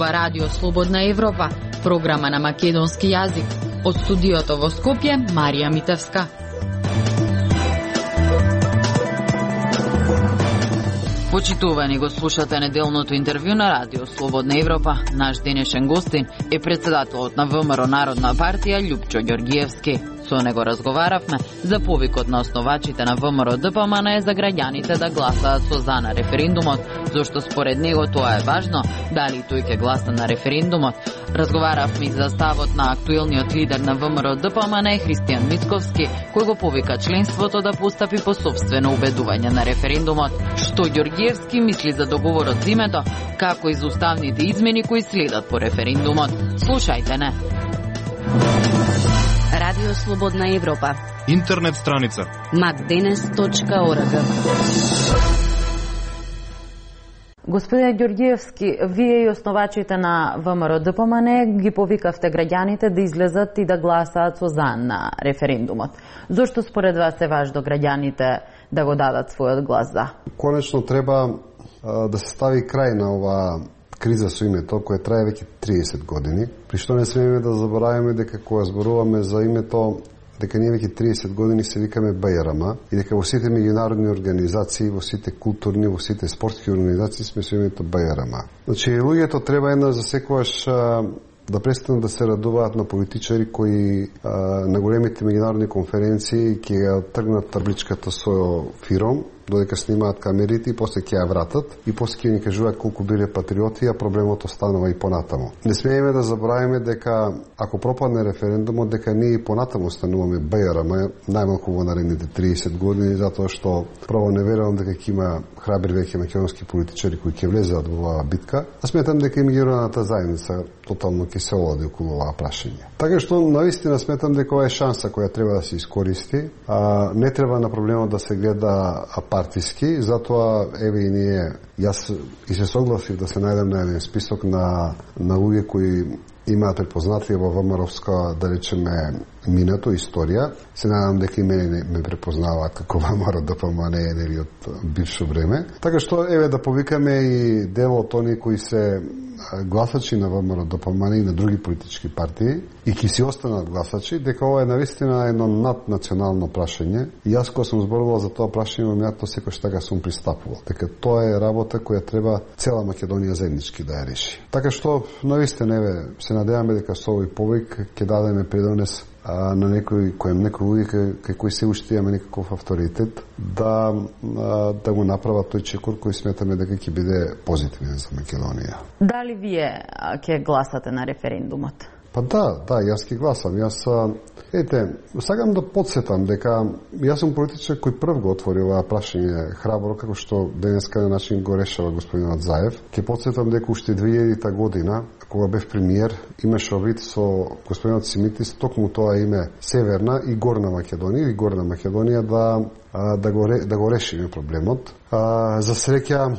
Ова радио Слободна Европа, програма на македонски јазик. Од студиото во Скопје, Марија Митевска. Почитувани, го слушате неделното интервју на радио Слободна Европа. Наш денешен гостин е председателот на ВМРО Народна партија Љупчо Ѓорѓиевски. Со него разговаравме за повикот на основачите на ВМРО ДПМН за граѓаните да гласаат со за на референдумот, зашто според него тоа е важно, дали тој ќе гласа на референдумот. Разговаравме и за ставот на актуелниот лидер на ВМРО ДПМН Христијан Мицковски, кој го повика членството да постапи по сопствено убедување на референдумот. Што Ѓорѓиевски мисли за договорот за името, како и за уставните измени кои следат по референдумот. Слушајте не. Радио Слободна Европа. Интернет страница macdenes.org. Господине Ѓорѓиевски, вие и основачите на ВМРО ДПМН ги повикавте граѓаните да излезат и да гласаат со за на референдумот. Зошто според вас е важно граѓаните да го дадат својот глас за? Конечно треба да се стави крај на ова криза со името, која трае веќе 30 години. При што не смееме да забораваме дека кога зборуваме за името, дека ние веќе 30 години се викаме БРМ и дека во сите меѓународни организации, во сите културни, во сите спортски организации сме со името БРМ. Значи, луѓето треба една за секојаш да престанат да се радуваат на политичари кои на големите меѓународни конференции ќе ја тргнат табличката со фиром, додека снимаат камерите и после ќе ја вратат и после ќе ни кажуваат колку биле патриоти, а проблемот останува и понатаму. Не смееме да забравиме дека ако пропадне референдумот, дека ние и понатаму стануваме БРМ, најмалку во наредните 30 години, затоа што право не верувам дека ќе има храбри веќе македонски политичари кои ќе влезат во оваа битка, а сметам дека и меѓународната заедница тотално ќе се олади околу оваа прашање. Така што навистина сметам дека ова е шанса која треба да се искористи, не треба на проблемот да се гледа партиски, затоа еве и ние, јас и се согласив да се најдем на еден список на луѓе кои имаат препознатие во ВМРО-вска, да речеме, минато, историја. Се надам дека и мене ме препознаваат како ВМРО ДПМН нели од бивше време. Така што еве да повикаме и дел од они кои се гласачи на ВМРО ДПМН и на други политички партии и ќе си останат гласачи, дека ова е навистина едно наднационално прашање. И јас кога сум зборувал за тоа прашање, меато секој така сум пристапувал. Дека тоа е работа која треба цела Македонија заеднички да ја реши. Така што навистина еве се надеваме дека со овој повик ќе дадеме придонес на некој луѓе кај кои се уште имаме некаков авторитет да го направат тој чекор кој сметаме дека ќе биде позитивен за Македонија. Дали вие ќе гласате на референдумот? Па да, јас ќе гласам. Сакам да подсетам дека јас сум политичар кој прв го отвори оваа прашање храбро, како што денеска на начин го решава господинот Заев. Ќе подсетам дека уште 2000 година, кога бев премиер, имаше обид со господинот Симитис, токму тоа име Северна и Горна Македонија, или Горна Македонија да го решиме проблемот. За среќа,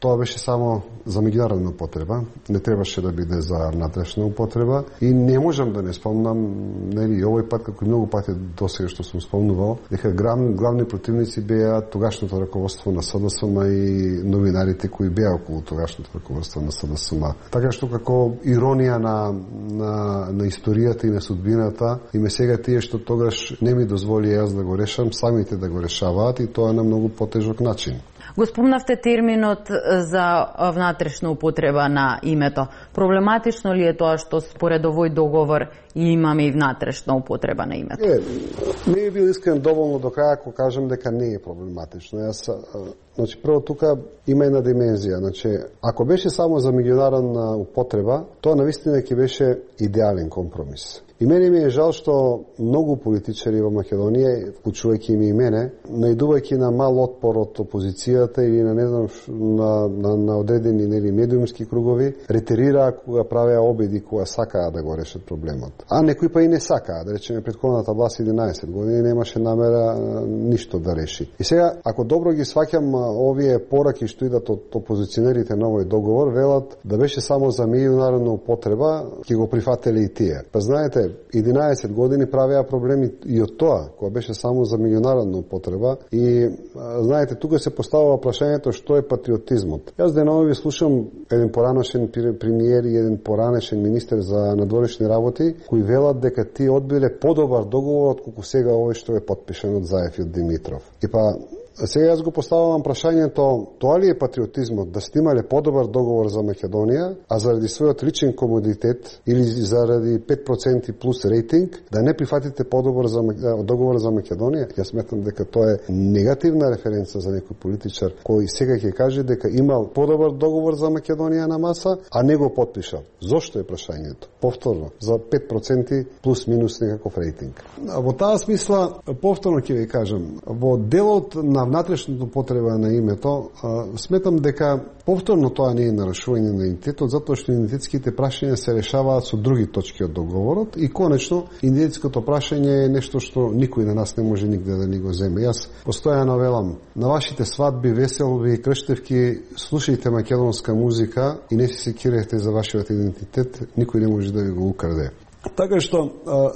тоа беше само за меѓународна употреба, не требаше да биде за внатрешна употреба и не можам да не спомнам, нели, овој пат, како и многу пати досега што сум спомнувал, дека главни противници беа тогашното раководство на СДСМ и новинарите кои беа околу тогашното раководство на СДСМ. Така што како иронија на историјата и на судбината, име сега тие што тогаш не ми дозволи јас да го решам, самите да го решаваат и тоа на многу потежок начин. Го спомнавте терминот за внатрешна употреба на името. Проблематично ли е тоа што според овој договор имаме и внатрешна употреба на името? Не е бил искрен доволно до краја ако кажем дека не е проблематично. Значи, прво тука има една димензија. Значи, ако беше само за меѓународна употреба, тоа навистина ќе беше идеален компромис. И мене ми е жал што многу политичари во Македонија, вклучувајќи и мене, наидувајќи на мал отпор од опозицијата или на не знам на одредени медиумски кругови, ретерираа кога правеа обиди кога сакаа да го решат проблемот. А некои па и не сакаа, да речеме претходната власт 11 години немаше намера ништо да реши. И сега, ако добро ги сваќам овие пораки што идат од опозиционерите на овој договор, велат да беше само за меѓународна употреба, ќе го прифателе и тие. Па знаете, 11 години правеа проблеми и од тоа, која беше само за меѓународна употреба. И знаете, тука се поставува прашањето што е патриотизмот. Јас денови слушам еден поранешен премиер и еден поранешен министер за надворешни работи кои велат дека тие одбиле подобар договор отколку сега овој што е потпишан од Заев и од Димитров. И па сега јас го поставувам прашањето, тоа ли е патриотизмот, да сте имале подобар договор за Македонија, а заради својот личен комодитет или заради 5% плюс рейтинг, да не прифатите подобар за договор за Македонија? Јас сметам дека тоа е негативна референца за некој политичар кој сега ќе каже дека имал подобар договор за Македонија на маса, а не го потпишал. Зошто е прашањето? Повторно, за 5% плюс минус некаков рейтинг. Во таа смисла, повторно ќе ви кажам, во делот на внатрешната потреба на името, сметам дека повторно тоа не е нарушување на идентитетот, затоа што идентитетските прашања се решаваат со други точки од договорот и конечно идентитетското прашање е нешто што никој на нас не може нигде да ни го земе. Јас постојано велам, на вашите свадби, веселби и крштевки слушајте македонска музика и не се секирате за вашиот идентитет, никој не може да ви го украде. Така што,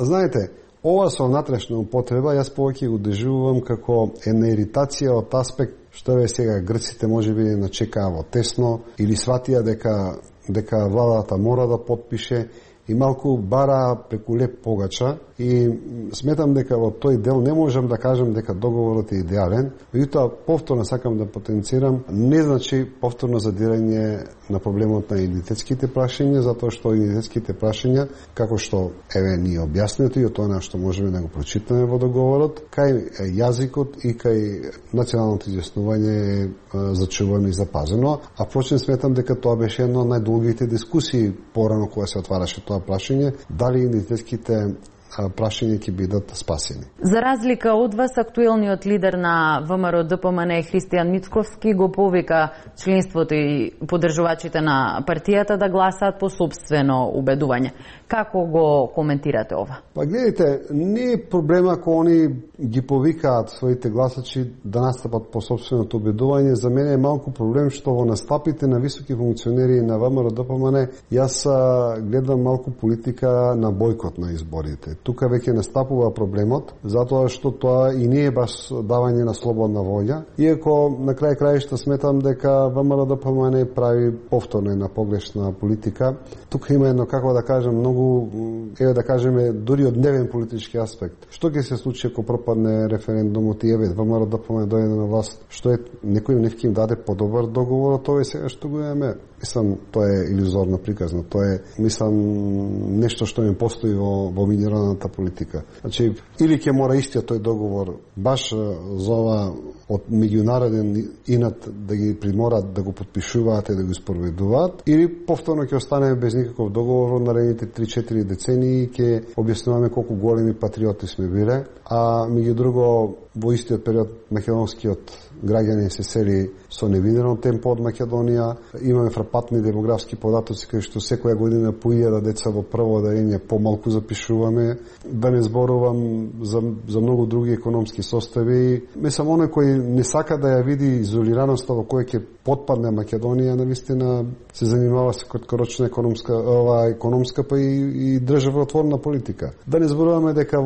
знаете, ова со внатрешна употреба, јас повеќе го доживувам како една иритација од аспект што е сега грците можеби начекаа во тесно или сватија дека владата мора да потпише и малку бара преку леп погача и сметам дека во тој дел не можам да кажам дека договорот е идеален, меѓутоа повторно сакам да потенцирам, не значи повторно задирање на проблемот на идентитетските прашања, затоа што идентитетските прашања, како што еве ни објаснето и од тоа што можеме да го прочитаме во договорот, кај јазикот и кај националното изјаснување е зачувано и запазено, а впрочем сметам дека тоа беше една од најдолгите дискусии порано кога се отвараше тоа прашање, дали идентитетските прашања ќе бидат спасени. За разлика од вас, актуелниот лидер на ВМРО ДПМН Христијан Мицковски го повика членството и поддржувачите на партијата да гласаат по собствено убедување. Како го коментирате ова? Па гледайте, не е проблема ако они ги повикаат своите гласачи да настапат по собственото убедување. За мене е малку проблем што во настапите на високи функционери на ВМРО ДПМН јас гледам малку политика на бойкот на изборите. Тука веќе настапува проблемот, затоа што тоа и не е баш давање на слободна волја, иако на крај краишта сметам дека ВМРО ДПМН прави повторно една погрешна политика. Тука има едно, како да кажем, многу, да кажеме, дури од дневен политички аспект. Што ќе се случи ако пропадне референдумот и ВМРО ДПМН дојде на власт? Што е, некој не ќе им даде подобар договор од тоа сега што го имаме? Мислам, тоа е илузорно приказно. Тоа е, мислам, нешто што не постои во меѓународната политика. Значи, или ќе мора истиот тој договор баш за ова од меѓународен инат да ги приморат да го потпишуваат и да го испроведуваат, или повторно ќе остане без никаков договор во наредните 3-4 децении и ќе објаснуваме колку големи патриоти сме биле, а меѓу друго во истиот период македонскиот граѓани се сели со невидено темпо од Македонија. Имаме фрапатни демографски податоци кои што секоја година по 1000 деца во прво одделение помалку запишуваме. Да не зборувам за многу други економски состави. Мислам, оној кој не сака да ја види изолираноста во која ќе потпадне Македонија, навистина се занимава со краткорочна економска па и државотворна политика. Да не зборуваме дека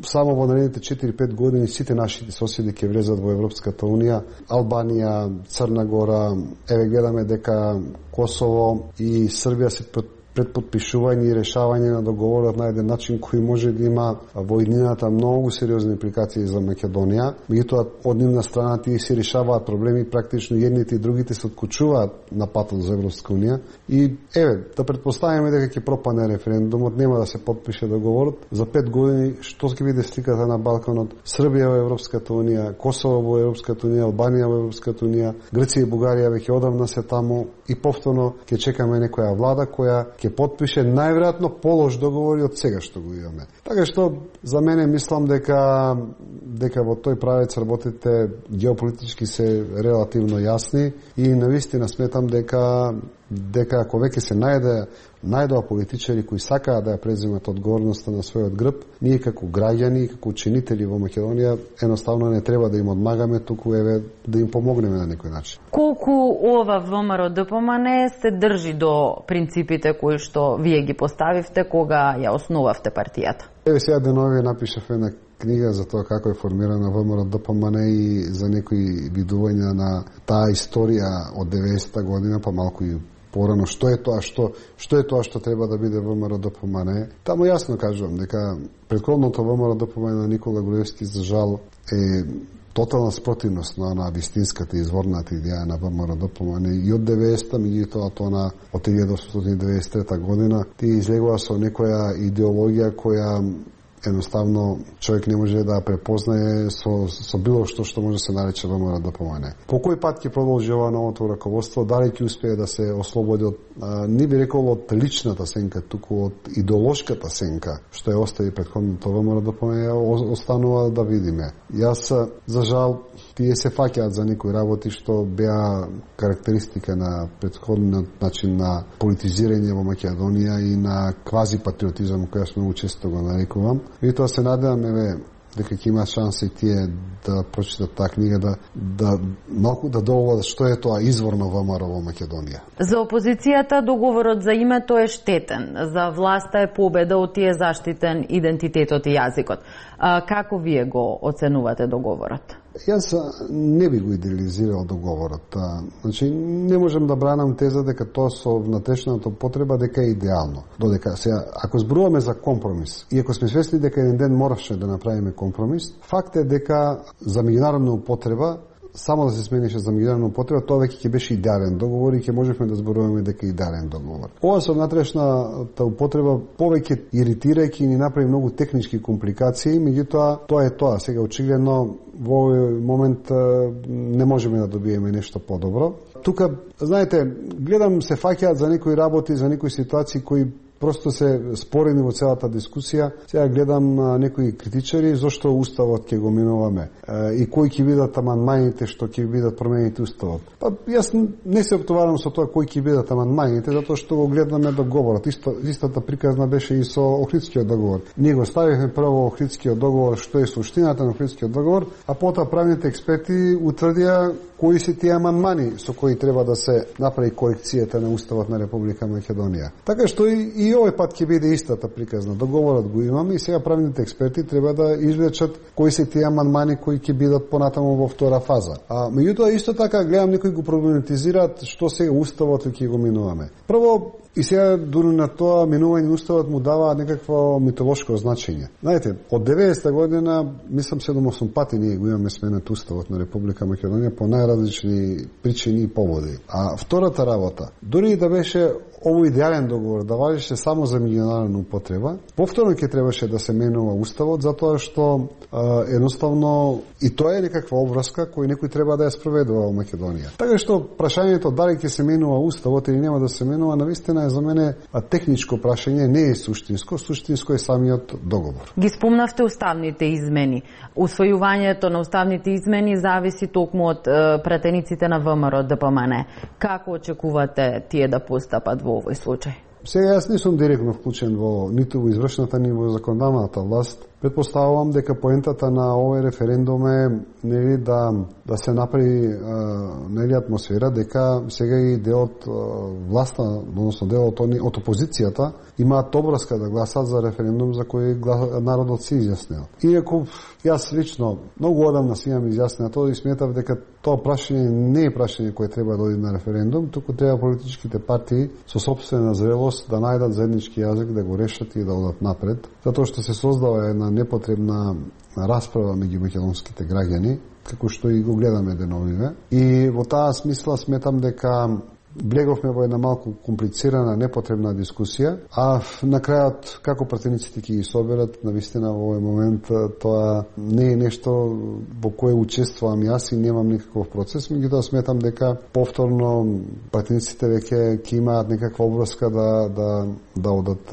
само во наредните 4-5 години сите нашите соседи ќе влезат во Европската унија, Албанија, Црна Гора, еве гледаме дека Косово и Србија се пред подпишување и решавање на договорот на еден начин кој може да има во иднината многу сериозни импликации за Македонија. Меѓутоа, од нивна страна тие се решаваат проблеми, практично едните и другите се откучуваат на патот за Европска унија. И еве, да предпоставиме дека ќе пропадне референдумот, нема да се потпише договорот. За 5 години што ќе биде сликата на Балканот? Србија во Европската унија, Косово во Европската унија, Албанија во Европската унија, Грција и Бугарија веќе одамна се таму и повторно ќе чекаме некоја влада која ќе потпише најверојатно полош договори од сега што го имаме. Така што за мене мислам дека во тој правец работите геополитички се релативно јасни и навистина сметам дека дека ако веќе се најдоа политичари кои сакаат да ја преземат одговорноста на својот грб, ние како граѓани и како ученители во Македонија едноставно не треба да им одмагаме, туку еве да им помогнеме на некој начин. Колку ова ВМРО-ДПМНЕ се држи до принципите кои што вие ги поставивте кога ја основавте партијата? Еве сега денови напишав една книга за тоа како е формирана ВМРО-ДПМНЕ и за некои видувања на таа историја од 90-та година, па малку и порано, што е тоа што треба да биде ВМРО-ДПМНЕ. Таму јасно кажувам дека претходното ВМРО-ДПМНЕ на Никола Груевски за жал е тотална спротивност на вистинската изворната идеја на ВМРО-ДПМНЕ и од 90-та, меѓутоа од 1993 година ти излегува со некоја идеологија која едноставно човек не може да препознае со било што може да се нарече ВМРО-ДПМНЕ. По кој пат ќе продолжи ова новото раководство, дали ќе успее да се ослободи од, не би рекол од личната сенка, туку од идеолошката сенка, што ја остави претходното ВМРО-ДПМНЕ, останува да видиме. Јас, за жал, тие се фаќаат за некои работи што беа карактеристика на претходниот начин на политизирање во Македонија и на квази-патриотизам, која сме често го нарекувам. И тоа се надевам, дека ќе има шанса и тие да прочитат таа книга, да малку да доаѓа што е тоа изворно ВМРО во Македонија. За опозицијата договорот за името е штетен, за власта е победа, од тие заштитен идентитетот и јазикот. Како вие го оценувате договорот? Јас не би го идеализирал договорот. Значи, не можем да бранам теза дека тоа со внатрешната потреба дека е идеално. Додека сега, ако зборуваме за компромис, и ако сме свесни дека еден ден моравше да направиме компромис, факт е дека за меѓународна употреба, само да се сменише за меѓународна употреба, тоа веќе ќе беше идеален договор и ќе можевме да зборуваме дека е идеален договор. Ова со внатрешната употреба повеќе иритирајќи ни направи многу технички компликации, меѓутоа тоа е тоа. Сега очигледно во овој момент не можеме да добиеме нешто подобро. Тука, знаете, гледам се фаќаат за некои работи, за некои ситуации кои просто се спорени во целата дискусија. Сега гледам некои критичари зошто уставот ќе го минуваме и кои ќе бидат амандманите што ќе бидат промените уставот. Па јас не се оптоварам со тоа кои ќе бидат амандманите, затоа што го гледаме договорот. Истата приказна беше и со Охридскиот договор. Ние го ставивме прво Охридскиот договор, што е суштината на Охридскиот договор, а потоа правните експерти утврдија кои се тие амандмани со кои треба да се направи корекцијата на уставот на Република Македонија. Така што и овој пат ќе биде истата приказна. Договорот го имаме и сега правните експерти треба да извлечат кои се тие амандмани кои ќе бидат понатаму во втора фаза. Меѓутоа исто така гледам некои го проблематизираат што сега уставот ќе го минуваме. Прво, и сега дури на тоа минување уставот му дава некакво митолошко значење. Знаете, од 90-та година, мислам 7-8 пати ние го имаме сменет уставот на Република Македонија по најразлични причини и поводи. А втората работа, дури и да беше овој идеален договор, да важеше само за меѓународна употреба, повторно ќе требаше да се менува уставот, затоа што едноставно и тоа е некаква обврска кој некој треба да ја спроведува во Македонија. Така што прашањето дали ќе се менува уставот или нема да се менува, навистина е за мене прашање, не е суштинско. Суштинско е самиот договор. Ги спомнавте уставните измени. Усвојувањето на уставните измени зависи токму од пратениците на ВМРО-ДПМНЕ. Како очекувате тие да постапат во овој случај? Сега јас не сум директно вклучен ниту во извршната, ни во законодавната власт. Предпоставувам дека поентата на овој референдум е да се направи атмосфера дека сега и делот власта, односно делот од опозицијата имаат обврска да гласат за референдум за кој народот се изјаснил. Иако јас лично многу одамна си имам изјаснено тоа и сметав дека тоа прашање не е прашање кое треба да оди на референдум, туку треба политичките партии со сопствена зрелост да најдат заеднички јазик, да го решат и да одат напред, затоа што се создава една непотребна расправа меѓу македонските граѓани, како што и го гледаме деновиве. И во таа смисла сметам дека влеговме во една малку комплицирана, непотребна дискусија, а на крајот како пратениците ќе ги соберат, навистина во овој момент тоа не е нешто во кое учествувам јас и немам никаков процес, меѓутоа сметам дека повторно пратениците веќе ќе имаат некаква обврска да одат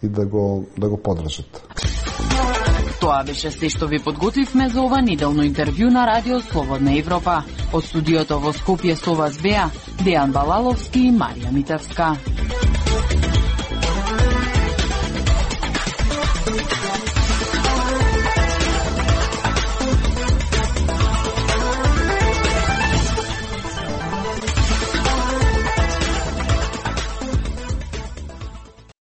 и да го подржат. Тоа беше се што ви подготвивме за ова неделно интервју на Радио Слободна Европа. Од студиото во Скопје со вас беа Дејан Балаловски и Марија Митевска.